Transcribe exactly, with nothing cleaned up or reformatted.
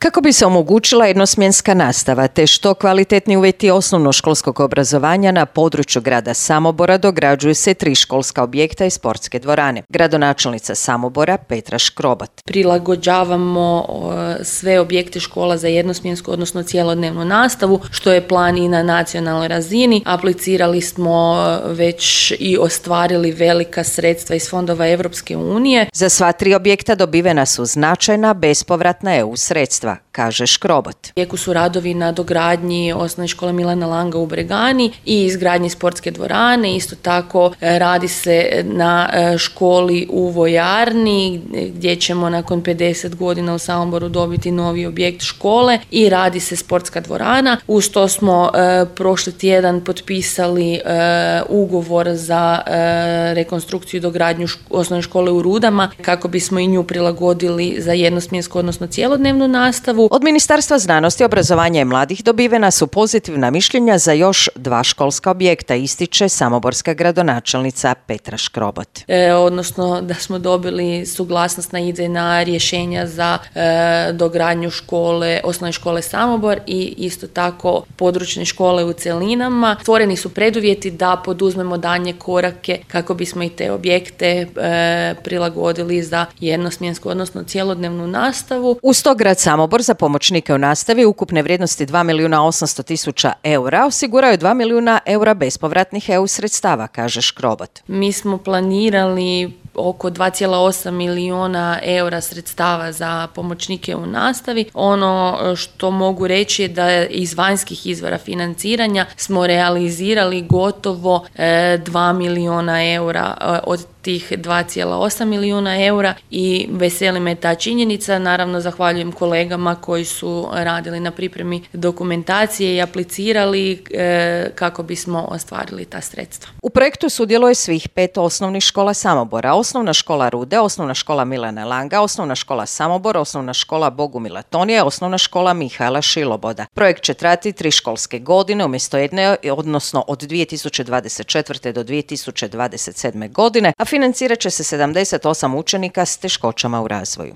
Kako bi se omogućila jednosmjenska nastava te što kvalitetni uvjeti osnovnoškolskog obrazovanja na području grada Samobora, dograđuju se tri školska objekta i sportske dvorane. Gradonačelnica Samobora Petra Škrobat. Prilagođavamo sve objekte škola za jednosmjensku, odnosno cjelodnevnu nastavu, što je plan i na nacionalnoj razini. Aplicirali smo već i ostvarili velika sredstva iz fondova Europske unije. Za sva tri objekta dobivena su značajna bespovratna E U sredstva, kaže Škrobat. U tijeku su radovi na dogradnji osnovne škole Milana Langa u Bregani i izgradnji sportske dvorane. Isto tako radi se na školi u Vojarni gdje ćemo nakon pedeset godina u Samoboru dobiti novi objekt škole i radi se sportska dvorana. Uz to smo e, prošli tjedan potpisali e, ugovor za e, rekonstrukciju i dogradnju šk- osnovne škole u Rudama kako bismo i nju prilagodili za jednosmjensku, odnosno cjelodnevnu nastavu. Od Ministarstva znanosti, obrazovanja i mladih dobivena su pozitivna mišljenja za još dva školska objekta, ističe samoborska gradonačelnica Petra Škrobat. E, odnosno da smo dobili suglasnost na idejna rješenja za e, dogradnju škole, osnovne škole Samobor i isto tako područne škole u cjelinama. Stvoreni su preduvjeti da poduzmemo daljnje korake kako bismo i te objekte e, prilagodili za jednosmjensku, odnosno cjelodnevnu nastavu. Uz to grad Samobor za pomoćnike u nastavi ukupne vrijednosti dva milijuna osamsto tisuća eura osiguraju dva milijuna eura bespovratnih E U sredstava, kaže Škrobat. Mi smo planirali oko dva zarez osam milijuna eura sredstava za pomoćnike u nastavi. Ono što mogu reći je da iz vanjskih izvora financiranja smo realizirali gotovo dva milijuna eura od tih dva zarez osam milijuna eura i veseli me ta činjenica. Naravno, zahvaljujem kolegama koji su radili na pripremi dokumentacije i aplicirali e, kako bismo ostvarili ta sredstva. U projektu sudjeluje svih pet osnovnih škola Samobora, osnovna škola Rude, osnovna škola Milana Langa, osnovna škola Samobor, osnovna škola Bogumila Tonije, osnovna škola Mihaela Šiloboda. Projekt će trajati tri školske godine umjesto jedne, odnosno od dvije tisuće dvadeset četvrte do dvije tisuće dvadeset sedme godine, a financirat će se sedamdeset osam učenika s teškoćama u razvoju.